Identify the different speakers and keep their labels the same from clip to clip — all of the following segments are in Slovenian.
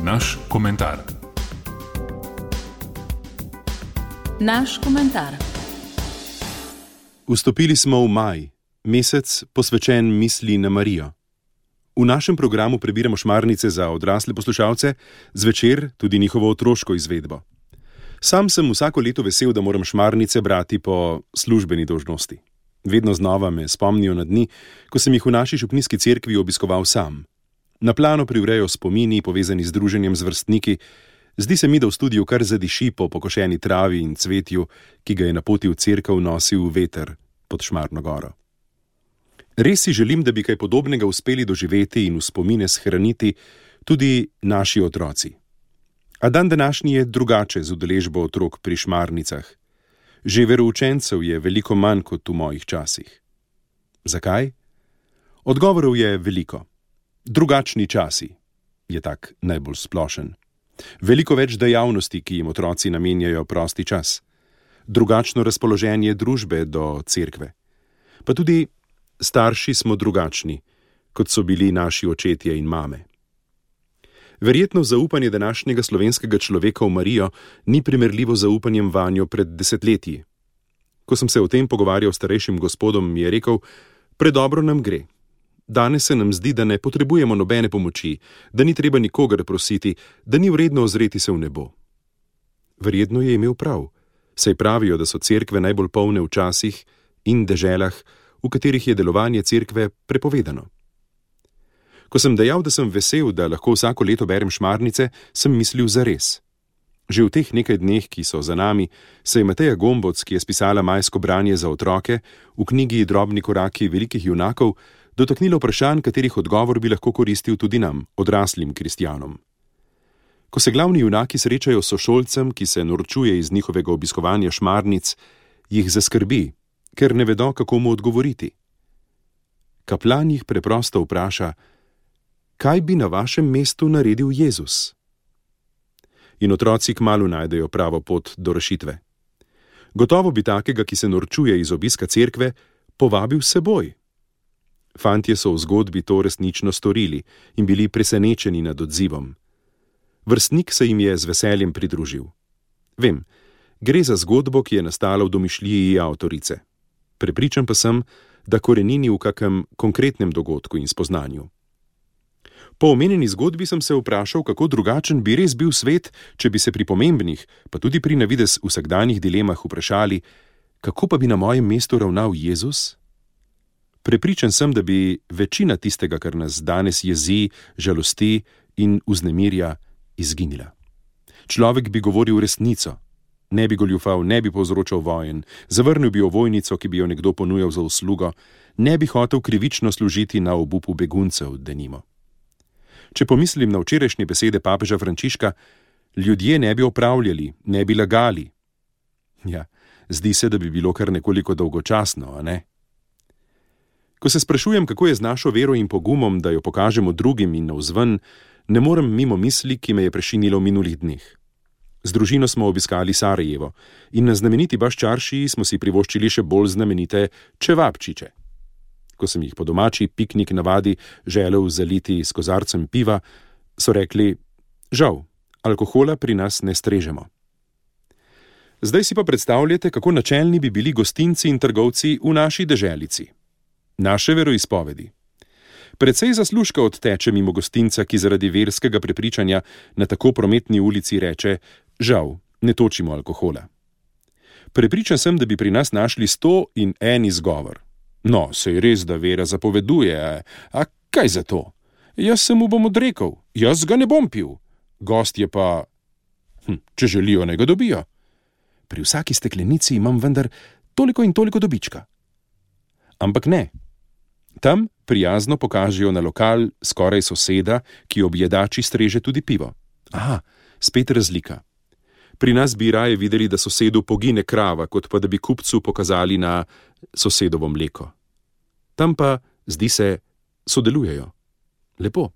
Speaker 1: Naš komentar.
Speaker 2: Naš komentar.
Speaker 3: Vstopili smo v maj, mesec posvečen misli na Marijo. V našem programu prebiramo šmarnice za odrasle poslušalce, zvečer tudi njihovo otroško izvedbo. Sam sem vsako leto vesel, da moram šmarnice brati po službeni dolžnosti. Vedno znova me spomnijo na dni, ko sem jih v naši župnijski cerkvi obiskoval sam. Na plano privrejo spomini, povezani z druženjem z vrstniki. Zdi se mi, da v studiu kar zadiši po pokošeni travi in cvetju, ki ga je na poti v cerkev nosil veter pod Šmarno goro. Res si želim, da bi kaj podobnega uspeli doživeti in v spomine shraniti tudi naši otroci. A dan današnji je drugače z udeležbo otrok pri šmarnicah. Že veroučencev je veliko manj kot v mojih časih. Zakaj? Odgovorov je veliko. Drugačni časi je tak najbolj splošen. Veliko več dejavnosti, ki jim otroci namenjajo prosti čas. Drugačno razpoloženje družbe do cerkve. Pa tudi starši smo drugačni, kot so bili naši očetje in mame. Verjetno zaupanje današnjega slovenskega človeka v Marijo ni primerljivo z zaupanjem vanjo pred desetletji. Ko sem se o tem pogovarjal s starejšim gospodom, mi je rekel: predobro nam gre. Danes se nam zdi, da ne potrebujemo nobene pomoči, da ni treba nikogar prositi, da ni vredno ozreti se v nebo. Verjetno je imel prav, saj pravijo, da so cerkve najbolj polne v časih in deželah, v katerih je delovanje cerkve prepovedano. Ko sem dejal, da sem vesel, da lahko vsako leto berem šmarnice, sem mislil zares. Že v teh nekaj dneh, ki so za nami, se je Mateja Gomboc, ki je spisala majsko branje za otroke, v knjigi Drobni koraki velikih junakov, dotaknila vprašanj, katerih odgovor bi lahko koristil tudi nam, odraslim kristjanom. Ko se glavni junaki srečajo s sošolcem, ki se norčuje iz njihovega obiskovanja šmarnic, jih zaskrbi, ker ne vedo, kako mu odgovoriti. Kaplan jih preprosto vpraša: kaj bi na vašem mestu naredil Jezus? In otroci kmalu najdejo pravo pot do rešitve. Gotovo bi takega, ki se norčuje iz obiska cerkve, povabil s seboj. Fantje so v zgodbi to resnično storili in bili presenečeni nad odzivom. Vrstnik se jim je z veseljem pridružil. Vem, gre za zgodbo, ki je nastala v domišljiji avtorice. Prepričan pa sem, da korenini v kakem konkretnem dogodku in spoznanju. Po omenjeni zgodbi sem se vprašal, kako drugačen bi res bil svet, če bi se pri pomembnih, pa tudi pri navidez vsakdanjih dilemah vprašali, kako pa bi na mojem mestu ravnal Jezus? Prepričan sem, da bi večina tistega, kar nas danes jezi, žalosti in vznemirja, izginila. Človek bi govoril resnico, ne bi goljufal, ne bi povzročal vojen, zavrnil bi ovojnico, ki bi jo nekdo ponujal za uslugo, ne bi hotel krivično služiti na obupu beguncev, denimo. Če pomislim na včerajšnje besede papeža Frančiška, ljudje ne bi opravljali, ne bi lagali. Ja, zdi se, da bi bilo kar nekoliko dolgočasno, a ne? Ko se sprašujem, kako je z našo vero in pogumom, da jo pokažemo drugim in navzven, ne morem mimo misli, ki me je prešinilo v minulih dneh. Z družino smo obiskali Sarajevo in na znameniti Baščaršiji smo si privoščili še bolj znamenite čevapčiče. Ko sem jih po domači piknik navadi želel zaliti s kozarcem piva, so rekli: žal, alkohola pri nas ne strežemo. Zdaj si pa predstavljate, kako načelni bi bili gostinci in trgovci v naši deželici. Naše veroizpovedi. Precej zaslužka odteče mimo gostinca, ki zaradi verskega prepričanja na tako prometni ulici reče: žal, ne točimo alkohola. Prepričan sem, da bi pri nas našli 101 izgovor. No, sej res, da vera zapoveduje, a kaj za to? Jaz se mu bom odrekel, jaz ga ne bom pil. Gostje pa, če želijo, naj ga dobijo. Pri vsaki steklenici imam vendar toliko in toliko dobička. Ampak ne. Tam prijazno pokažejo na lokal skoraj soseda, ki ob jedači streže tudi pivo. Aha, spet razlika. Pri nas bi raje videli, da sosedu pogine krava, kot pa da bi kupcu pokazali na sosedovo mleko. Tam pa, zdi se, sodelujejo. Lepo.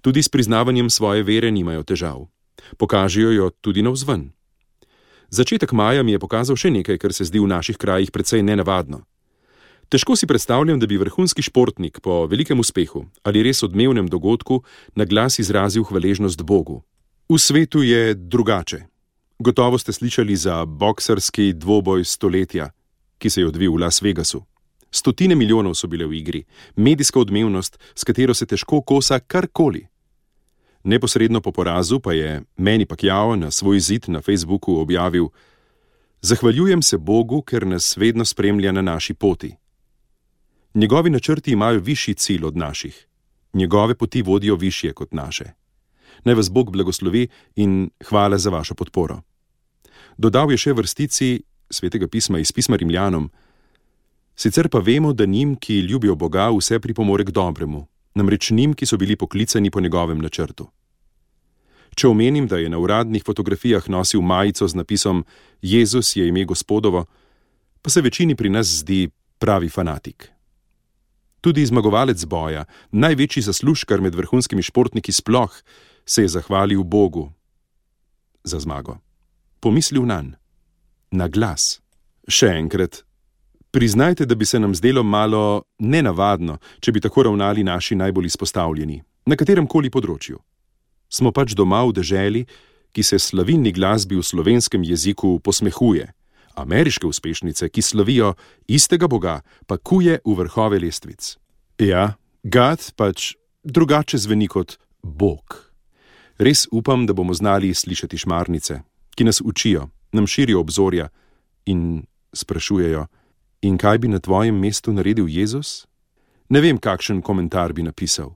Speaker 3: Tudi s priznavanjem svoje vere nimajo težav. Pokažejo jo tudi navzven. Začetek maja mi je pokazal še nekaj, kar se zdi v naših krajih precej nenavadno. Težko si predstavljam, da bi vrhunski športnik po velikem uspehu ali res odmevnem dogodku na glas izrazil hvaležnost Bogu. V svetu je drugače. Gotovo ste slišali za boksarski dvoboj stoletja, ki se je odvil v Las Vegasu. 100 milijonov so bile v igri, medijska odmevnost, s katero se težko kosa karkoli. Neposredno po porazu pa je Manny Pacquiao na svoj zid na Facebooku objavil: "Zahvaljujem se Bogu, ker nas vedno spremlja na naši poti. Njegovi načrti imajo višji cilj od naših. Njegove poti vodijo višje kot naše. Naj vas Bog blagoslovi in hvala za vašo podporo." Dodal je še vrstici Svetega pisma iz pisma Rimljanom: "Sicer pa vemo, da njim, ki ljubijo Boga, vse pripomore k dobremu, namreč njim, ki so bili poklicani po njegovem načrtu." Če omenim, da je na uradnih fotografijah nosil majico z napisom "Jezus je ime Gospodovo", pa se večini pri nas zdi pravi fanatik. Tudi zmagovalec boja, največji zaslužkar med vrhunskimi športniki sploh, se je zahvalil Bogu za zmago. Pomislil nanj. Na glas. Še enkrat. Priznajte, da bi se nam zdelo malo nenavadno, če bi tako ravnali naši najbolj izpostavljeni, na kateremkoli področju. Smo pač doma v deželi, ki se slavilni glasbi v slovenskem jeziku posmehuje. Ameriške uspešnice, ki slavijo istega Boga, pa kuje v vrhove lestvic. Ja, God pač drugače zveni kot Bog. Res upam, da bomo znali slišati šmarnice, ki nas učijo, nam širijo obzorja in sprašujejo: "In kaj bi na tvojem mestu naredil Jezus?" Ne vem, kakšen komentar bi napisal.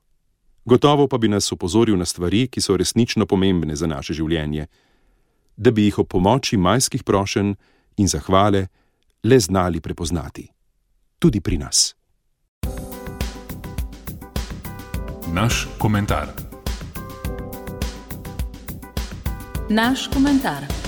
Speaker 3: Gotovo pa bi nas opozoril na stvari, ki so resnično pomembne za naše življenje, da bi jih ob pomoči majskih prošenj in zahvale le znali prepoznati. Tudi pri nas.
Speaker 1: Naš komentar.
Speaker 2: Naš komentar.